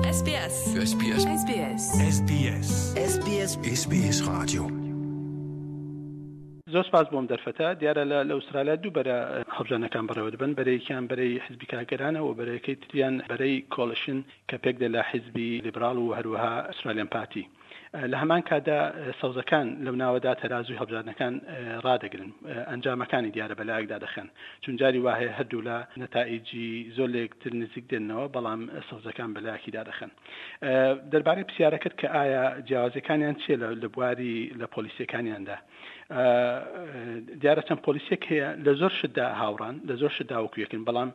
SBS. SBS. SBS. SBS. SBS. SBS Radio. زۆر سپاس بۆم دەرفەتە. دیارە لە لە ئوسترالیا دوو بەرە هەڵبژاردنەکان بەڕێوە دەبەن، بەرەیەکیان بەرەی حیزبی کارگەرانە و بەرەکەی تریان بەرەی کۆڵیشن کە پێک دێ لە حیزبی لیبراڵ و هەروەها ئوسترالیان پارتی. لە هەمان کاتدا سەوزەکان لەو ناوەدا تەرازووی هەڵبژاردنەکان ڕادەگرن، ئەنجامەکانی دیارە بەلایەکدا دەخەن، چون جاری وا هەیە هەردوولا نەتائیجی زۆر لەیەکتر نزیک دێنەوە، بەڵام سەوزەکان بەلایەکی دادەخەن. دەربارەی پرسیارەکەت کە ئایا جیاوازیەکانیان چیە لە بواری لە پۆلیسیەکانیاندا دیارە چەند پۆلیسێک هەیە لە زۆر شتدا هاوڕان لە زۆر شتدا وەکو یەکن بەڵام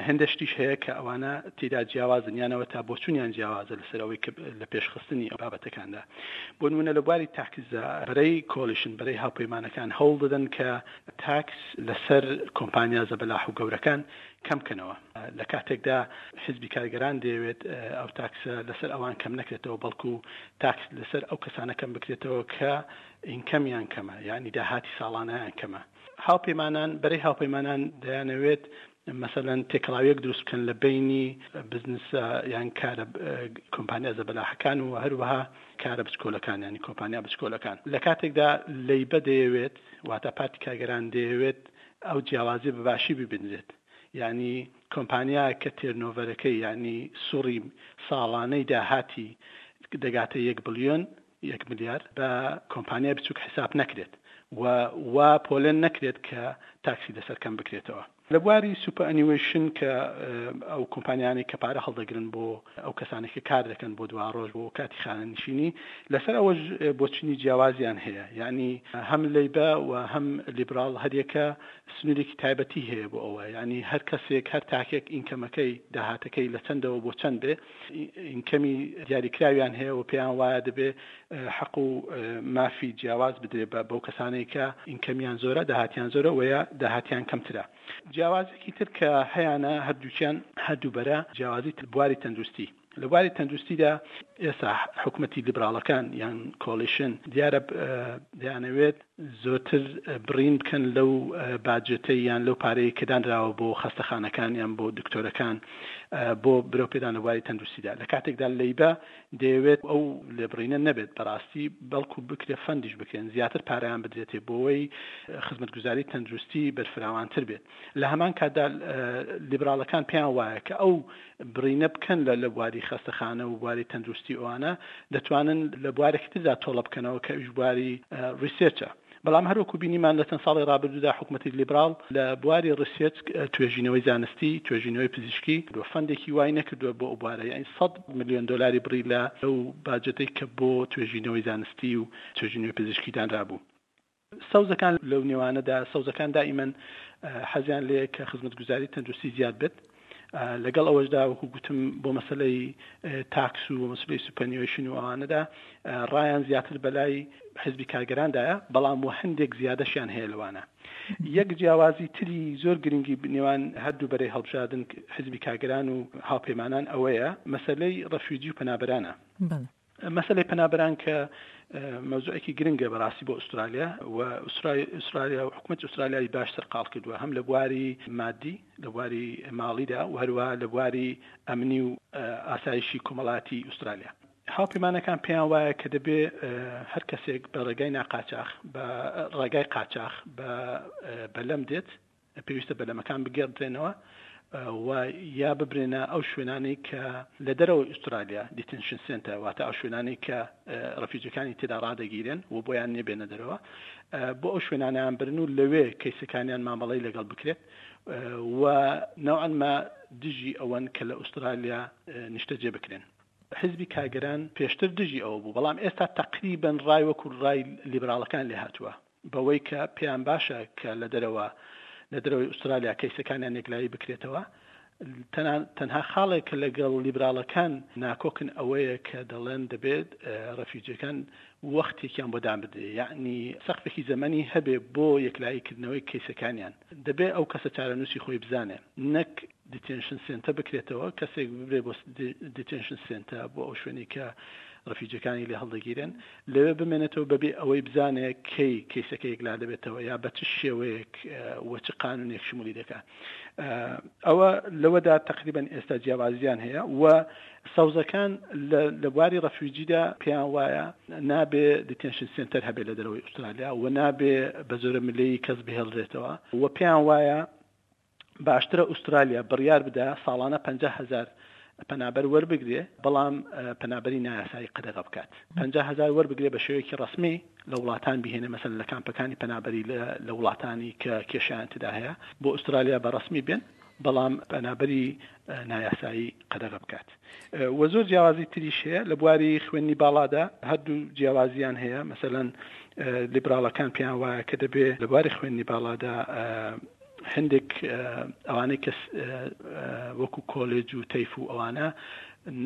هەندێک شتیش هەیە کە ئەوانە تێدا جیاوازن یانەوە تا بۆچونیان جیاوازە لەسەر ئەوەی کە لە پێشخستنی ئەو بابەتەکاندا بۆ نمونە لە بواری تاکسدا بەرەی کۆلیشن بەرەی هاوپەیمانەکان هەوڵ دەدەن کە تاکس لەسەر کۆمپانیا زەبەلاح و گەورەکان کەم کەنەوە لە کاتێکدا حیزبی کارگەران دەیەوێت ئەو تاکسە لەسەر ئەوان کەم نەکرێتەوە بەڵکو تاکس لەسەر ئەو کەسانە کەم بکرێتەوە کە ئینکەمیان کەمە یانی داهاتی ساڵانەیان کەمە. هاوپەیمانان، بەرەی هاوپەیمانان دەیانەوێت مەسەلەن تێکەڵاویەک دروست بکەن لە بەینی بزنسە یان کارە کۆمپانیا زەبەلاحەکان و هەروەها کارە بچکۆلەکان یانی کۆمپانیا بچکۆلەکان لە کاتێکدا لەیبە دەیەوێت واتە پارتی کارگەران دەیەوێت ئەو جیاوازیە بە باشی ببینرێت یانی کۆمپانیا کە تێرنۆڤەرەکەی یانی سوڕی ساڵانەی داهاتی دەگاتە یەک بلیۆن یەک ملیار بە کۆمپانیای بچوک حیساب نەکرێت و وا پۆلێن نەکرێت کە تاکسی لەسەر کەم بکرێتەوە. لە بواری سوپەرئەنیوەیشن کە ئەو کۆمپانیانەی کە پارە هەڵدەگرن بۆ ئەو کەسانەی کە کار دەکەن بۆ دواڕۆژ بۆ کاتی خانەنشینی لەسەر ئەوەش بۆچونی جیاوازیان هەیە یانی هەم لەیبە و هەم لیبراڵ هەریەکە سنوورێکی تایبەتی هەیە بۆ ئەوە یانی هەر کەسێک هەر تاکێک ئینکەمەکەی داهاتەکەی لە چەندەوە بۆ چەند بێ ئینکەمی دیاریکراویان هەیە و پێیان وایە دەبێ حەق و مافی جیاواز بدرێ بە بەو کەسانەی کە ئینکەمیان زۆرە داهاتیان زۆرە و یا داهاتیان کەمترە. جیاوازێکی تر کە هەیانە هەردووکیان هەردوو بەرە جیاوازی بواری تەندروستی لە بواری تەندروستیدا ئێستا حکومەتی لیبراڵەکان یان کۆلیشن دیارە دەیانەوێت زۆرتر بڕین بکەن لەو باجێتەی یان لەو پارەی کە دانراوە بۆ خەستەخانەکان یان بۆ دکتۆرەکان بۆ برەو پێدان لە بواری تەندروستیدا لە کاتێکدا لەیبە دەیەوێت ئەو لێبڕینە نەبێت بەڕاستی بەڵکو بکرێت فەندیش بکرێن زیاتر پارەیان بدرێتێ بۆوەی خزمەتگوزاری تەندروستی بەرفراوانتر بێت لە هەمان کاتدا لیبراڵەکان پێیان وایە کە ئەو بڕینە بکەن لە لە بواری خەستەخانە و بواری تەندروستی ئەوانە دەتوانن لە بوارێکی تردا تۆڵە بکەنەوە کە ئەویش بواری ڕیسێرچە. بەڵام هەروەکو بینیمان لە چەند ساڵی ڕابردوودا حکومەتی لیبراڵ لە بواری ڕیسێرچ توێژینەوەی زانستی، توێژینەوەی پزیشکی فەندێکی وای نەکردووە بۆ ئەو بوارە یانی سەد ملیۆن دۆلاری بڕی لە لەو باجەتەی کە بۆ توێژینەوەی زانستی و توێژینەوەی پزیشکی دانرابوو. سەوزەکان لەو نێوانەدا سەوزەکان دائیمەن حەزیان لێیە کە خزمەتگوزاری تەندروستی زیاد بێت لەگەڵ ئەوەشدا وەکو گوتم بۆ مەسلەی تاکس و مەسلەی سوپەنیۆشن و ئەوانەدا ڕایان زیاتر بەلای حزبی کارگەراندایە بەڵام و هەندێک زیادەشیان هەیە لەوانە یەک جیاوازی تری زۆر گرنگی نێوان هەردوو بەرەی هەڵبژاردن حزبی کارگەران و هاوپەیمانان ئەوەیە مەسلەی ڕەفیوجی و پەنابەرانە. مەسەلەی پەنابەران کە مەوزوعێکی گرنگە بەڕاستی بۆ ئوسترالیا و ئوسترالیا و حکوومەت ئوسترالیای باش سەرقاڵ کردووە هەم لە بواری مادی لە بواری ماڵیدا و هەروە لە بواری ئەمنی و ئاسایشی کۆمەڵاتی ئوسترالیا. هاوپەیمانەکان پێیان وایە کە دەبێ هەر کەسێک بە ڕێگای ناقاچاخ بە ڕێگای قاچاخ بە بەلەم دێت پێویستە بەلەمەکان بگێڕدرێنەوە و یا ببرێنە ئەو شوێنانەی کە لە دەرەوەی ئوسترالیا دیتنشن سێنتەر واتە ئەو شوێنانەی کە ڕەفیجەکانی تێدا ڕادەگیرێن و بۆیان نییە بێنە دەرەوە بۆ ئەو شوێنانیان برن و لەوێ کەیسەکانیان مامەڵەی لەگەڵ بکرێت و نەوعەن ما دژی ئەوەن کە لە ئوسترالیا نیشتەجێ بکرێن. حزبی کارگەران پێشتر دژی ئەوە بوو بەڵام ئێستا تەقریبەن ڕای وەکو ڕای لیبراڵەکان لێهاتووە. بەوەی کە پێیان باشە کە لە دەرەوە لە دەرەوەی ئوسترالیا کەیسەکانیان یەکلایی بکرێتەوە تەنها خاڵێک کە لەگەڵ لیبراڵەکان ناکۆکن ئەوەیە کە دەڵێن دەبێت ڕەفیوجیەکان وەختێکیان بۆ دابدرێ یعنی سەقفێکی زەمەنی هەبێ بۆ یەکلایی کردنەوەی کەیسەکانیان دەبێ ئەو کەسە چارەنووسی خۆی بزانێ نەک. دیتێنشن سێنتە بکرێتەوە، کەسێک ببرێ بۆ دیتێنشن سێنتە بۆ ئەو شوێنەی کە ڕفیجەکانی لێ هەڵدەگیرێن لەوێ بمێنێتەوە بەبێ ئەوەی بزانێ کەی کەیسەکە یەکلا دەبێتەوە یا بە چ شێوەیەک و چ قانونێک شمولی دەکا. ئەوە لەوەدا تەقریبەن ئێستا جیاوازیان هەیە و سەوزەکان لە بواری ڕەفیوجیدا پێیان وایە نابێ دیتێنشن سێنتەر هەبێ لە دەرەوەی ئوسترالیا و نابێ بە زۆرە ملەی کەس بهێڵرێتەوە و پێیان وایە باشترە ئوسترالیا بڕیار بدا ساڵانە 50 هەزار پەنابەر وەربگرێ بەڵام پەنابەری نایاسایی قەدەغە بکات 50 هەزار وەربگرێ بە شێوەیەکی ڕەسمی لە وڵاتان بهێنێ مەسەلەن لە کامپەکانی پەنابەری لە وڵاتانی کە کێشەیان تێدا هەیە بۆ ئوسترالیا بە ڕەسمی بێن بەڵام پەنابەری نایاسایی قەدەغە بکات وە زۆر جیاوازی تریش هەیە لە بواری خوێندنی باڵادا هەردوو جیاوازیان هەیە مەسەلەن لیبراڵەکان پێیان وایە کە دەبێ لە بواری خوێندنی باڵادا هەندێک ئەوانەی کە وەکو کۆلێج و تەیف و ئەوانە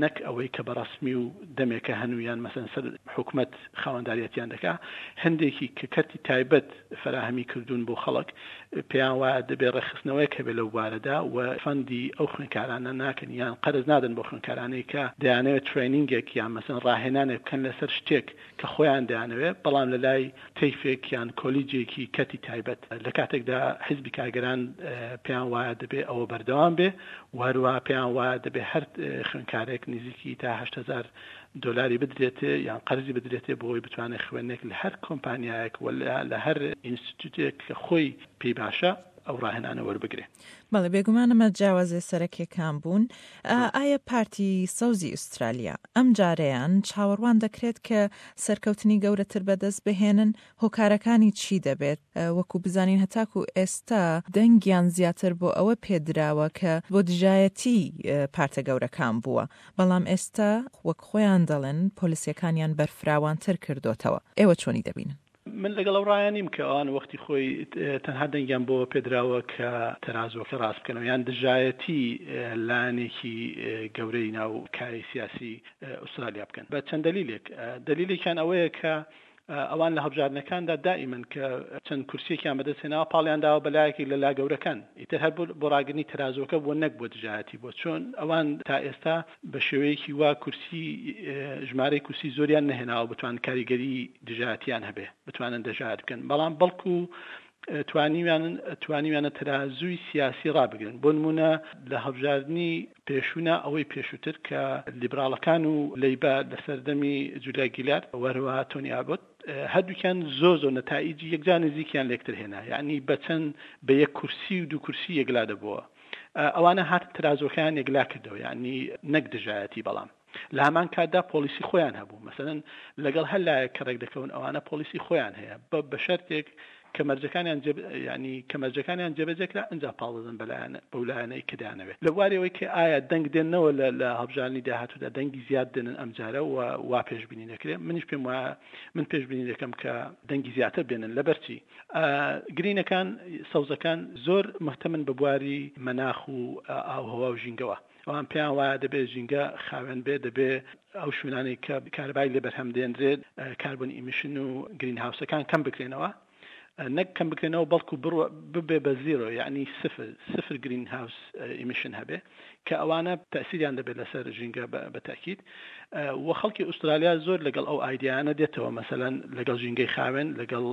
نەک ئەوەی کە بە ڕەسمی و دەمێکە هەن و یان مەسەن سەر حکومەت خاوەنداریەتیان دەکا هەندێکی کە کەرتی تایبەت فەراهەمی کردوون بۆ خەڵک پێیان وایە دەبێ ڕێکخستنەوەیەک هەبێ لەو بوارەدا و فەندی ئەو خوێندکارانە ناکەن یان قەرز نادەن بۆ خوێندکارانەی کە دەیانەوێت ترێنینگێک یان مەسەن ڕاهێنانێک بکەن لەسەر شتێک کە خۆیان دەیانەوێت، بەڵام لە لای تەیفێک یان کۆلیجێکی کەرتی تایبەت، لە کاتێکدا حیزبی کارگەران پێیان وایە دەبێ ئەوە بەردەوام بێ و هەروەها پێیان وایە دەبێ هەر خوێندکارێک نزیکی تا 8000 دۆلاری بدرێتێ یان قەرزی بدرێتێ بۆ ئەوەی بتوانێت خوێندنێک لە هەر کۆمپانیایەک و لە هەر ئینستیتوتێک کە خۆی پێی باشە ئەو ڕاهێنانە وەربگرێ. بەڵێ بێگومان ئەمە جیاوازیە سەرەکیەکان بوون. ئایا پارتی سەوزی ئوسترالیا ئەم جارەیان چاوەڕوان دەکرێت کە سەرکەوتنی گەورەتر بەدەست بهێنن؟ هۆکارەکانی چی دەبێت؟ وەکو بزانین هەتاکو ئێستا دەنگیان زیاتر بۆ ئەوە پێدراوە کە بۆ دژایەتی پارتە گەورەکان بووە، بەڵام ئێستا وەک خۆیان دەڵێن پۆلیسیەکانیان بەرفراوانتر کردۆتەوە. ئێوە چۆنی دەبینن؟ من لەگەڵ ئەو ڕایە نیم کە ئەوان وەختی خۆی تەنها دەنگیان بۆ پێدراوە کە تەرازووەکە ڕاست بکەنەوە یان دژایەتی لایەنێکی گەورەی ناو کایەی سیاسی ئوسترالیا بکەن بە چەند دەلیلێک دەلیلێکیان ئەوەیە کە ئەوان لە هەڵبژاردنەکاندا دائیمەن کە چەند کورسیەکیان بەدەست هێناوە پاڵیان داوە بە لایەکی لە لا گەورەکان ئیتر هەر بۆ ڕاگرنی تەرازووەکە بووە نەک بۆ دژایەتی بۆ چۆن ئەوان تا ئێستا بە شێوەیەکی وا کورسی ژمارەی کورسی زۆریان نەهێناوە بتوان کاریگەری دژایەتیان هەبێ بتوانن دەژایەت بکەن بەڵام بەڵکو توانیویان توانیویانە تەرازووی سیاسی ڕابگرن بۆ نمونە لە هەڵبژاردنی پێشوونا ئەوەی پێشووتر کە لیبراڵەکان و لەیبا لە سەردەمی جولیا گیلارد و هەروەها تۆنی ئابۆت هەردووکیان زۆر زۆر نەتائیجی یەکجار نزیکیان لێکتر هێنا یعنی بە چەند بە یەک کورسی و دوو کورسی یەکلا دەبووە ئەوانە هاتن ترازۆکەیان یەکلا کردەوە یعنی نەک دژایەتی بەڵام لە هەمان کاتدا پۆلیسی خۆیان هەبوو مەسەلەن لەگەڵ هەر لایەک کە ڕێک دەکەون ئەوانە پۆلیسی خۆیان هەیە بە بە شەرتێک کە مەرجەکانیان جێ یعنی کە مەرجەکانیان جێبەجێ کرا ئینجا پاڵ دەدەن بە لایەن بەو لایەنەی کە دەیانەوێت لە بواری ئەوەی کە ئایا دەنگ دێننەوە لە لە هەڵبژاردنی داهاتوودا دەنگی زیاد دێنن ئەمجارە و وا پێشبینی دەکرێت منیش پێم وایە من پێشبینی دەکەم کە دەنگی زیاتر بێنن لەبەرچی گرینەکان سەوزەکان زۆر مهتەمن بە بواری مەناخ و ئاوهەوا و ژینگەوە ئەوان پێیان وایە دەبێت ژینگە خاوێن بێت، دەبێت ئەو شوێنانەی کە کارەبای لێ بەرهەم دێنرێت کاربۆن ئیمیشن و گرین هاوسەکان کەم بکرێنەوە، نەک کەم بکرێنەوە بەڵکو ببێ بە زیرۆ یعنی سفر سفر گرین هاوس ئیمیشن هەبێ کە ئەوانە تەسیریان دەبێت لەسەر ژینگە بە تاکید و خەڵکی ئوسترالیا زۆر لەگەڵ ئەو ئایدیانە دێتەوە مەسەلەن لەگەڵ ژینگەی خاوێن لەگەڵ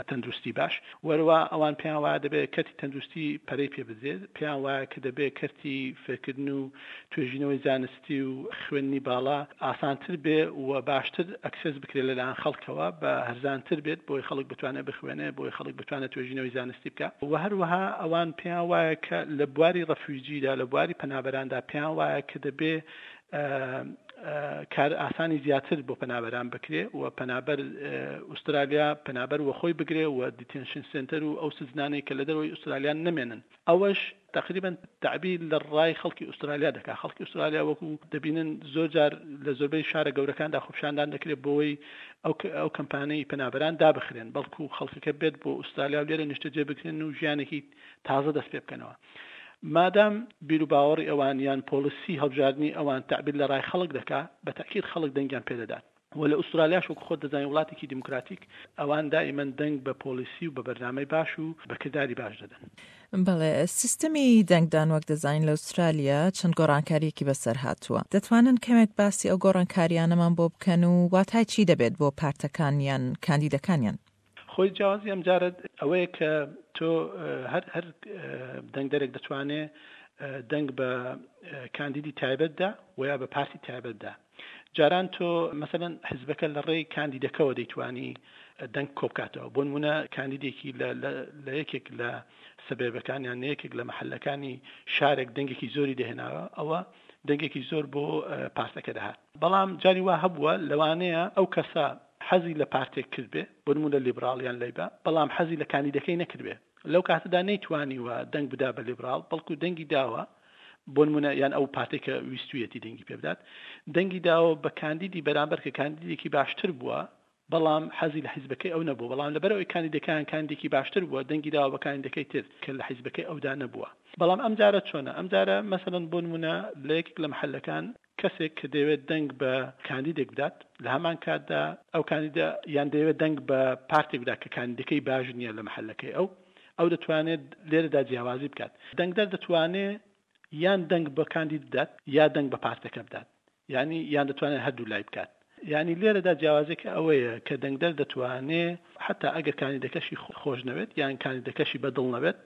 تەندروستی باش وەروا ئەوان پێیان وایە دەبێت کەرتی تەندروستی پەرەی پێ بدرێت پێیان وایە کە دەبێت کەرتی فێرکردن و توێژینەوەی زانستی و خوێندنی باڵا ئاسانتر بێ و باشتر ئەکسێس بکرێت لەلایەن خەڵکەوە بە هەرزانتر بێت بۆی خەڵک بتوانێت بخوێنێ بۆی خەڵک بتوانێت توێژینەوەی زانستی بکە و هەروەها ئەوان پێیان وایە کە لە بواری ڕەفیوجیدا لە بواری پەنابەراندا پێیان وایە کە دەبێ کار ئاسانی زیاتر بۆ پەنابەران بکرێ و پەنابەر ئوسترالیا پەنابەر وەخۆی بگرێ و دیتێنشن سێنتەر و ئەو سجنانەی کە لە دەرەوەی ئوسترالیان نەمێنن ئەوەش تقریبا تەعبیر لە ڕای خەڵکی ئوسترالیا دەکا خەڵکی ئوسترالیا وەکو دەبینن زۆر جار لە زۆربەی شارە گەورەکاندا خۆپیشاندان دەکرێت بۆی ئەو ئەو کەمپانەی پەنابەران دابخرێن بەڵکو خەڵکەکە بێت بۆ ئوسترالیا و لێرە نیشتەجێ بکرێن و ژیانێکی تازە دەست پێ بکەنەوە مادام بیروباوەڕی ئەوان یان پۆڵسی هەڵبژاردنی ئەوان تەعبیر لە ڕای خەڵک دەکا، بە تەئکید خەڵک دەنگیان پێ دەدات. و لە ئوسترالیاش وەکو خۆت دەزانی وڵاتێکی دیموکراتیک ئەوان دائیمەن دەنگ بە پۆڵیسی و بە بەرنامەی باش و بە کرداری باش دەدەن. بەڵێ، سیستمی دەنگدان وەک دەزانین لە ئوسترالیا چەند گۆڕانکارییەکی بەسەر هاتووە. دەتوانن کەمێک باسی ئەو گۆڕانکارییانەمان بۆ بکەن و واتای چی دەبێت بۆ پارتەکان یان کاندیدەکانیان؟ خۆی جیاوازی ئەمجارە ئەوەیە کە تۆ هەر هەر دەنگدەرێک دەتوانێ دەنگ بە کاندیدی تایبەت دا و یا بە پارتی تایبەت دا. جاران تۆ مەسەلەن حزبەکە لە ڕێی کاندیدەکەوە دەیتوانی دەنگ کۆبکاتەوە بۆ نمونە کاندیدێکی لە یەکێک لە سەبێبەکان یان یەکێک لە محلەکانی شارێک دەنگێکی زۆری دەهێناوە ئەوە دەنگێکی زۆر بۆ پارتەکە دەهات بەڵام جاری وا هەبووە لەوانەیە ئەو کەسە حەزی لە پارتێک کردبێ بۆ نمونە لیبراڵ یان لەیبە بەڵام حەزی لە کاندیدەکەی نەکردبێ لەو کاتەدا نەیتوانیوە دەنگ بدا بە لیبراڵ بەڵکو دەنگی داوە بۆ نمونە یان ئەو پارتێک کە ویستویەتی دەنگی پێ بدات دەنگی داوە بە کاندیدی بەرامبەر کە کاندیدێکی باشتر بووە بەڵام حەزی لە حیزبەکەی ئەو نەبوو بەڵام لەبەرئەوەی کاندیدەکان کاندیدێکی باشتر بووە دەنگی داوە بە کاندیدەکەی تر کە لە حیزبەکەی ئەودا نەبووە بەڵام ئەم جارە چۆنە ئەم جارە مەسەلەن بۆ نمونە لە یەکێک لە محەلەکان کەسێک کە دەیەوێت دەنگ بە کاندیدێک بدات لە هەمان کاتدا ئەو کاندیدە یان دەیەوێت دەنگ بە پارتێک بدات کە کاندیدەکەی باش نییە لە مەحەلەکەی ئەو، ئەو دەتوانێت لێرەدا جیاوازی بکات. دەنگدەر دەتوانێت یان دەنگ بە کاندید بدات یا دەنگ بە پارتەکە بدات یانی یان دەتوانێت هەردوو لای بکات. یانی لێرەدا جیاوازیەکە ئەوەیە کە دەنگدەر دەتوانێت حەتا ئەگەر کاندیدەکەشی خۆش نەوێت یان کاندیدەکەشی بە دڵ نەبێت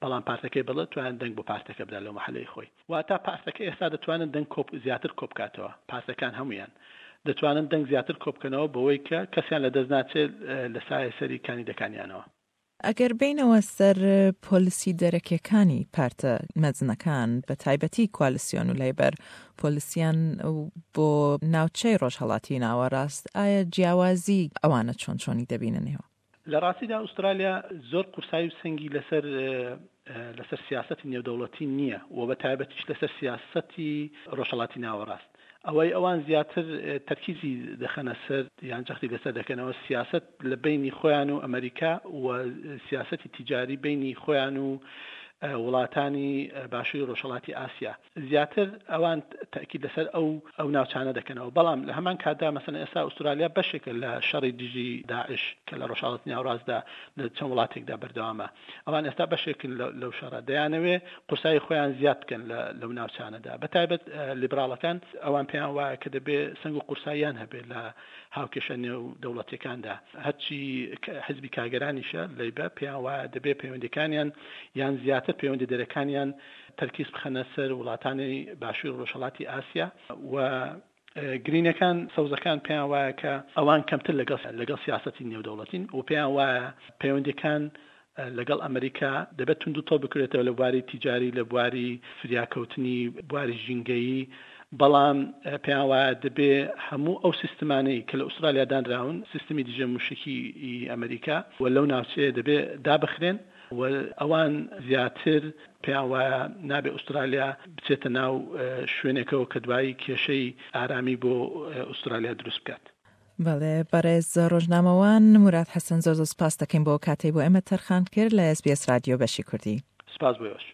بەڵام پارتەکەی بەڵێ توانێت دەنگ بۆ پارتەکە بدات لەو مەحەلەی خۆی. واتە پارتەکە ئێستا دەتوانن دەنگ کۆ زیاتر کۆبکاتەوە، پارتەکان هەموویان دەتوانن دەنگ زیاتر کۆبکەنەوە بەوەی کە کەسیان لەدەست ناچێت لە سایە سەری کاندیدەکانیانەوە. ئەگەر بێینەوە سەر پۆلسی دەرەکیەکانی پارتە مەزنەکان بە تایبەتی کوالسیۆن و لەیبەر پۆلسیان بۆ ناوچەی ڕۆژهەڵاتی ناوەڕاست ئایا جیاوازی ئەوانە چۆن چۆنی دەبینن ئێوە؟ لە ڕاستیدا ئوسترالیا زۆر قورسایی و سەنگی لەسەر لەسەر سیاسەتی نێودەوڵەتی نییە و بە تایبەتیش لەسەر سیاسەتی ڕۆژهەڵاتی ناوەڕاست. ئەوەی ئەوان زیاتر تەرکیزی دەخەنە سەر یان جەختی لەسەر دەکەنەوە سیاسەت لە بەینی خۆیان و ئەمەریکا و سیاسەتی تیجاری بەینی خۆیان و وڵاتانی باشووری ڕۆژهەڵاتی ئاسیا. زیاتر ئەوان تەئکید لەسەر ئەو ئەو ناوچانە دەکەنەوە، بەڵام لە هەمان کاتدا مەسەلەن ئێستا ئوسترالیا بەشێکە لە شەڕی دژی داعش کە لە ڕۆژهەڵاتی ناوەڕاستدا لە چەند وڵاتێکدا بەردەوامە، ئەوان ئێستا بەشێکن لەو شەڕە، دەیانەوێ قورسایی خۆیان زیاد بکەن لە لەو ناوچانەدا، بە تایبەت لیبراڵەکان ئەوان پێیان وایە کە دەبێ سەنگ و قورساییان هەبێ لە هاوکێشە نێودەوڵەتیەکاندا، هەرچی حزبی کارگەرانیشە لەیبە پێیان وایە دەبێ پەیوەندیەکانیان یان زیاتر پەیوەندی دەرەکانیان تەرکیز بخەنە سەر وڵاتانی باشووری ڕۆژهەڵاتی ئاسیا و گرینەکان، سەوزەکان پێیان وایە کە ئەوان کەمتر لەگەڵ لەگەڵ سیاسەتی نێودەوڵەتین و پێیان وایە پەیوەندیەکان لەگەڵ ئەمریکا دەبێت توندوتۆڵ بکرێتەوە لە بواری تیجاری، لە بواری فریاکەوتنی بواری ژینگەیی، بەڵام پێیان وایە دەبێ هەموو ئەو سیستمانەی کە لە ئوسترالیا دانراون، سیستمی دژە موشکی ئەمریکا و لەو ناوچەیە دەبێ دابخرێن. و ئەوان زیاتر پێیان وایە نابێ ئوسترالیا بچێتە ناو شوێنێکەوە کە دوایی کێشەی ئارامی بۆ ئوسترالیا دروست بکات. بەڵێ بەڕێز ڕۆژنامەوان موراد حەسەن زۆر زۆر سپاست دەکەین بۆ ئەو کاتەی بۆ ئێمەت تەرخان کرد لە SBS رادیۆ بەشی کوردی. سپاس بۆ ئێوەش.